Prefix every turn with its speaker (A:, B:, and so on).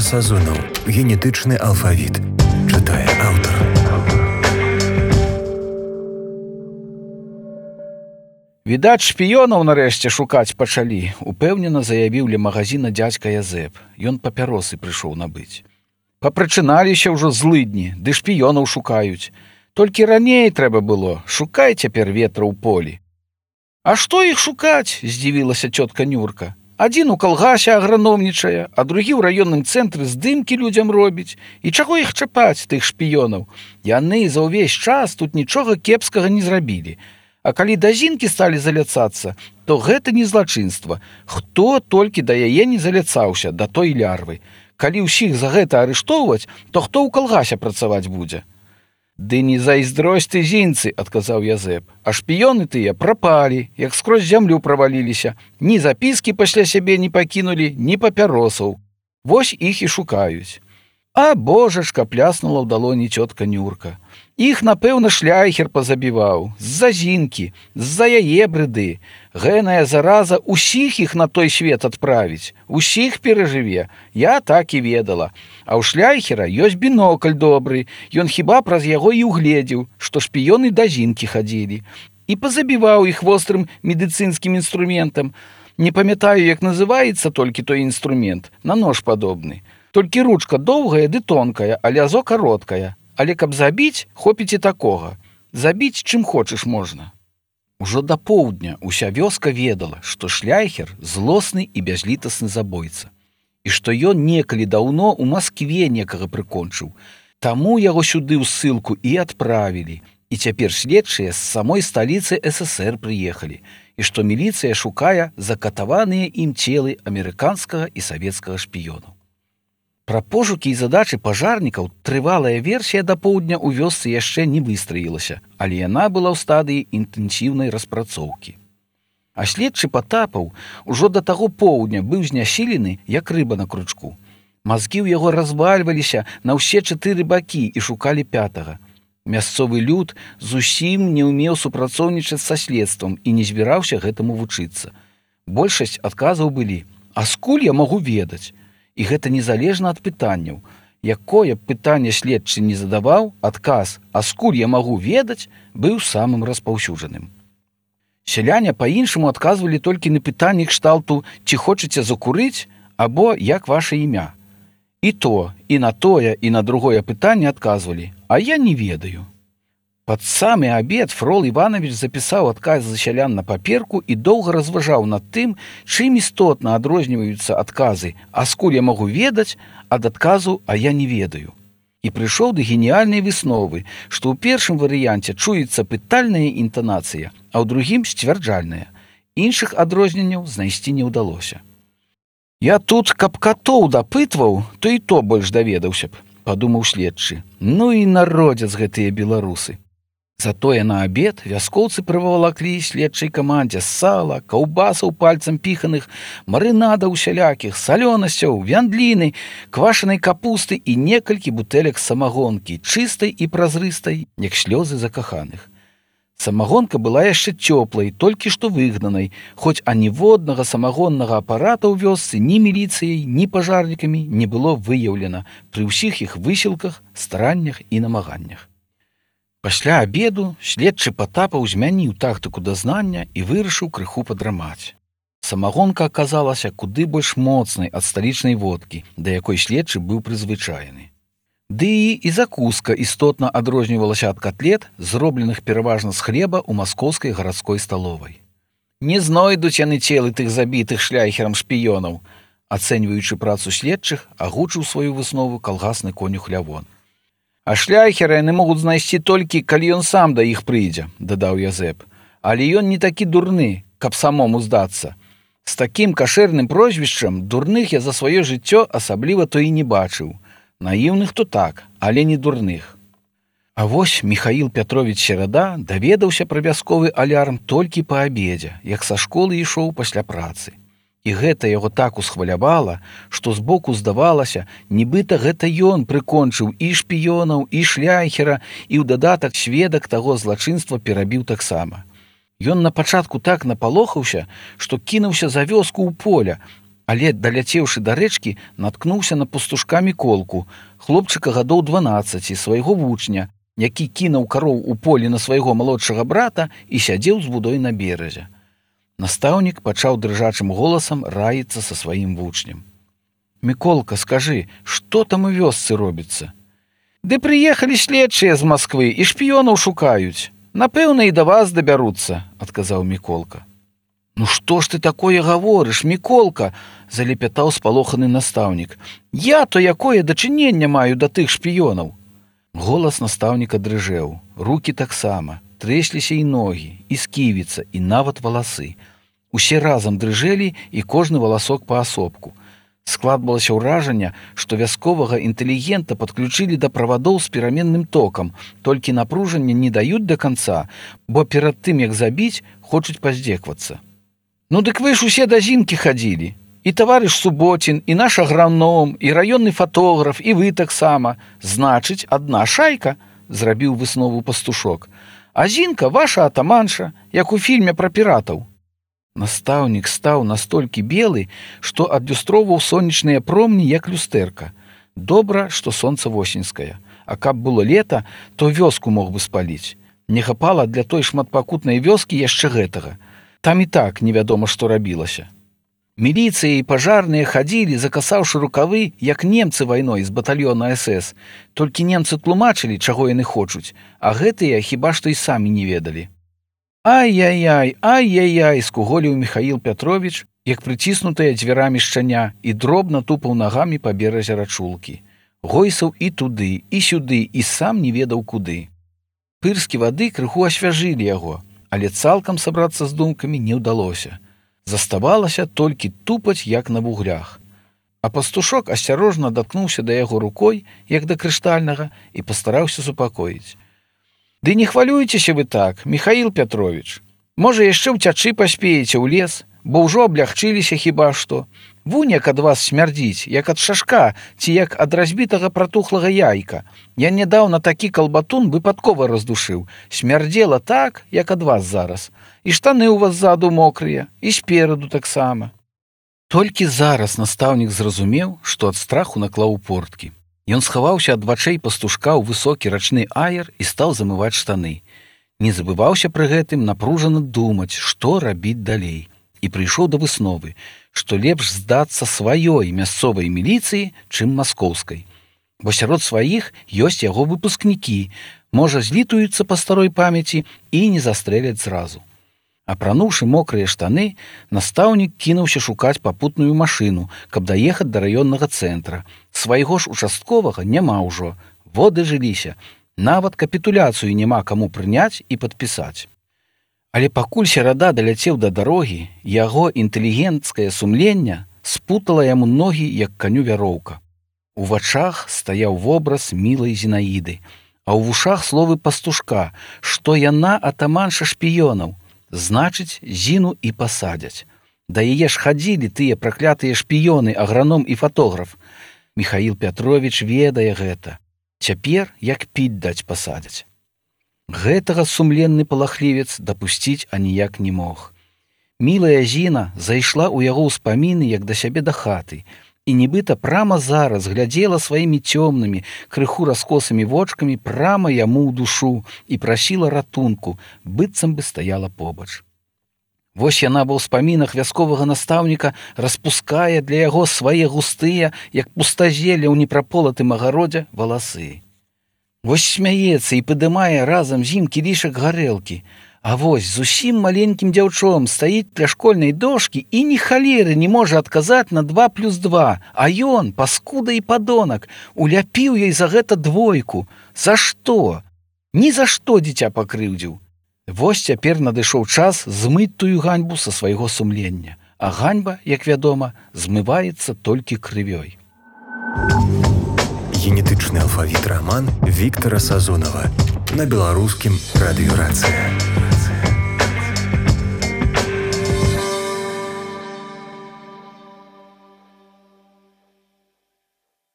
A: Сазонаў. Генетычны алфавіт. Чытае аўтар.
B: Відаць, шпіёнаў нарэшце шукаць пачалі, упэўнена заявіў ля магазіна дзядзька Язэп. Ён папяросы прыйшоў набыць. Папрачыналіся ўжо злыдні, ды шпіёнаў шукаюць. Толькі раней трэба было, шукай цяпер ветра ў полі. А што іх шукаць? Здзівілася цётка Нюрка. Адзін у калгасе аграномнічае, а другі ў раённым цэнтры здымкі людзям робіць. І чаго іх чапаць, тых шпіёнаў? Яны за ўвесь час тут нічога кепскага не зрабілі. А калі да зінкі сталі заляцацца, то гэта не злачынства. Хто толькі да яе не заляцаўся, да той лярвы. Калі ўсіх за гэта арыштоўваць, то хто ў калгасе працаваць будзе? Ды не зайздросць ты зінцы, адказаў Язэп. А шпіёны тыя прапалі, як скрозь зямлю праваліліся. Ні запіскі пасля сябе не пакінулі, ні папяросаў. Вось іх і шукаюць. А божачка, пляснула ў далоні цётка Нюрка. Іх, напэўна, шляйхер пазабіваў. З-за зінкі, з-за яе брыды. Гэная зараза усіх іх на той свет адправіць. Усіх перажыве. Я так і ведала. А ў шляйхера ёсць бінокль добры. Ён хіба праз яго і угледзеў, што шпіёны да зінкі хадзілі. І пазабіваў іх вострым медыцынскім інструментам. Не памятаю, як называецца толькі той інструмент. На нож падобны. Толькі ручка доўгая ды тонкая, а лязо кароткая. Але каб забіць, хопіць і такога. Забіць чым хочаш можна. Ужо да поўдня ўся вёска ведала, што шляйхер злосны і бязлітасны забойца. І што ён некалі даўно ў Маскве некага прыкончыў. Таму яго сюды ў ссылку і адправілі. І цяпер следчыя з самой сталіцы ССР прыехалі. І што міліцыя шукае закатаваныя ім целы амерыканскага і савецкага шпіёнаў. Пра пошукі і задачы пажарнікаў трывалая версія да поўдня ў вёсцы яшчэ не выстраілася, але яна была ў стадыі інтэнсіўнай распрацоўкі. А следчы Патапаў ужо да таго поўдня быў знясілены, як рыба на кручку. Мазгі ў яго развальваліся на ўсе 4 бакі і шукалі 5-га. Мясцовы люд зусім не ўмеў супрацоўнічаць са следствам і не збіраўся гэтаму вучыцца. Большасць адказаў былі: «А скуль я магу ведаць?» І гэта незалежна ад пытанняў. Якое б пытанне следчы не задаваў, адказ «А скуль я магу ведаць?» быў самым распаўсюджаным. Сяляне па-іншаму адказвалі толькі на пытанні кшталту «Ці хочаце закурыць?» або «Як ваша імя?». І то, і на тое, і на другое пытанне адказвалі «А я не ведаю». Пад самы абед Фрол Іванович запісаў адказ за сялян на паперку і доўга разважаў над тым, чым істотна адрозніваюцца адказы «А скуль я магу ведаць?» ад адказу «А я не ведаю». І прыйшоў да геніяльнай высновы, што ў першым варыянце чуецца пытальная інтанацыя, а ў другім сцвярджальная. Іншых адрозненняў знайсці не ўдалося. «Я тут, каб катоў дапытваў, то і то больш даведаўся б», падумаў следчы. Ну і народзяц гэтыя беларусы. Затое на абед вяскоўцы прывалаклі следчай камандзе сала, каўбасаў пальцам піханых, марынадаў усялякіх, салёнасцяў, вяндліны, квашанай капусты і некалькі бутэлек самагонкі, чыстай і празрыстай, як слёзы закаханых. Самагонка была яшчэ цёплай, толькі што выгнанай, хоць аніводнага самагоннага апарата ў вёсцы ні міліцыяй, ні пажарнікамі не было выяўлена пры ўсіх іх высілках, стараннях і намаганнях. Пасля абеду следчы Патапаў змяніў тактыку дазнання і вырашыў крыху падрамаць. Самагонка аказалася куды больш моцнай ад сталічнай водкі, да якой следчы быў прызвычаены. Ды і закуска істотна адрознівалася ад катлет, зробленых пераважна з хлеба ў маскоўскай гарадской сталовай. Не знойдуць яны целы тых забітых шляйхерам шпіёнаў, ацэньваючы працу следчых, агучыў сваю выснову калгасны конюх Лявон. А шляйхера яны могуць знайсці толькі, калі ён сам да іх прыйдзе, дадаў Язэп. Але ён не такі дурны, каб самому здацца. З такім кашэрным прозвішчам дурных я за сваё жыццё асабліва то і не бачыў. Наіўных то так, але не дурных. А вось Міхаіл Пятровіч Серада даведаўся пра вясковы алярм толькі па абедзе, як са школы ішоў пасля працы. І гэта яго так усхвалявала, што збоку здавалася, нібыта гэта ён прыкончыў і шпіёнаў, і шляйхера, і ў дадатак сведак таго злачынства перабіў таксама. Ён на пачатку так напалохаўся, што кінуўся за вёску ў поля, Але, даляцеўшы да рэчкі, наткнуўся на пастушка Міколку, хлопчыка гадоў 12, свайго вучня, які кінуў кароў у полі на свайго малодшага брата і сядзеў з вудой на беразе. Настаўнік пачаў дрыжачым голасам раіцца са сваім вучнем. «Міколка, скажы, што там у вёсцы робіцца?» «Ды прыехалі следчыя з Масквы і шпіёнаў шукаюць. Напэўна, і да вас дабяруцца», – адказаў Міколка. «Ну што ж ты такое гаворыш, Міколка?» – залепятаў спалоханы настаўнік. «Я то якое дачыненне маю да тых шпіёнаў?» Голас настаўніка дрыжэў, рукі таксама, трэсліся і ногі, і сківіца, і нават валасы. Усе разам дрыжэлі, і кожны валасок паасобку. Складвалася ўражанне, што вясковага інтэлігента падключылі да правадоў з пераменным токам, толькі напружання не даюць да канца, бо перад тым, як забіць, хочуць паздзеквацца. «Ну дык вы ж усе да Зінкі хадзілі. І таварыш Суботін, і наш аграном, і раённы фатограф, і вы таксама. Значыць, адна шайка», – зрабіў выснову пастушок. «А Зінка ваша атаманша, як у фільме пра піратаў». Настаўнік стаў настолькі белы, што адлюстроўваў сонечныя промні, як люстэрка. Добра, што сонца восеньскае, а каб было лета, то вёску мог бы спаліць. Не хапала для той шматпакутнай вёскі яшчэ гэтага. Там і так невядома, што рабілася. Міліцыя і пажарныя хадзілі, закасаўшы рукавы, як немцы вайной з батальёна СС. Толькі немцы тлумачылі, чаго яны хочуць, а гэтыя хіба што і самі не ведалі. «Ай-яй-яй, ай-яй-яй!» – скуголіў Міхаіл Пятровіч, як прыціснутая дзвярамі шчаня, і дробна тупаў нагамі па беразе рачулкі. Гойсаў і туды, і сюды, і сам не ведаў куды. Пырскі вады крыху асвяжылі яго, але цалкам сабрацца з думкамі не ўдалося. Заставалася толькі тупаць, як на вуглях. А пастушок асцярожна даткнуўся да яго рукой, як да крыштальнага, і пастараўся супакоіць. «Ды не хвалюйцеся вы так, Міхаіл Пятровіч. Можа, яшчэ ўцячы паспееце ў лес, бо ўжо аблягчыліся хіба што. Вунь як ад вас смярдзіць, як ад шашка ці як ад разбітага пратухлага яйка. Я нядаўна такі калбатун выпадкова раздушыў. Смярдзела так, як ад вас зараз. І штаны ў вас ззаду мокрыя, і спераду таксама». Толькі зараз настаўнік зразумеў, што ад страху наклаў порткі. Ён схаваўся ад вачэй пастушка ў высокі рачны аер і стаў замываць штаны. Не забываўся пры гэтым напружана думаць, што рабіць далей. І прыйшоў да высновы, што лепш здацца сваёй мясцовай міліцыі, чым маскоўскай. Бо сярод сваіх ёсць яго выпускнікі, можа, злітуюцца па старой памяці і не застрэляць зразу. Апрануўшы мокрыя штаны, настаўнік кінуўся шукаць папутную машыну, каб даехаць да раённага цэнтра. Свайго ж участковага няма ўжо, воды жыліся, нават капітуляцыю няма каму прыняць і падпісаць. Але пакуль серада даляцеў да дарогі, яго інтэлігенцкае сумленне спутала яму ногі, як каню вяроўка. У вачах стаяў вобраз мілай Зінаіды, а ў вушах словы пастушка, што яна атаманша шпіёнаў. Значыць, Зіну і пасадзяць. Да яе ж хадзілі тыя праклятыя шпіёны, аграном і фатограф. Міхаіл Пятровіч ведае гэта. Цяпер, як піць даць, пасадзяць. Гэтага сумленны палахлівец дапусціць аніяк не мог. Мілая Зіна зайшла ў яго ўспаміны, як да сябе да хаты, і нібыта прама зараз глядзела сваімі цёмнымі, крыху раскосымі вочкамі прама яму ў душу і прасіла ратунку, быццам бы стаяла побач. Вось яна ва ўспамінах вясковага настаўніка распускае для яго свае густыя, як пустазелля ў непраполатым агародзе, валасы. Вось смяецца і падымае разам з ім кілішак гарэлкі, а вось зусім маленькім дзяўчом стаіць ля школьнай дошкі і ні халеры не можа адказаць на 2+2, а ён, паскуда і падонак, уляпіў ёй за гэта 2. За што? Ні за што дзіця пакрыўдзіў. Вось цяпер надышоў час змыць тую ганьбу са свайго сумлення, а ганьба, як вядома, змываецца толькі крывёй.
A: Генетычны алфавіт раман Віктара Сазонава на беларускім радыёрацыі.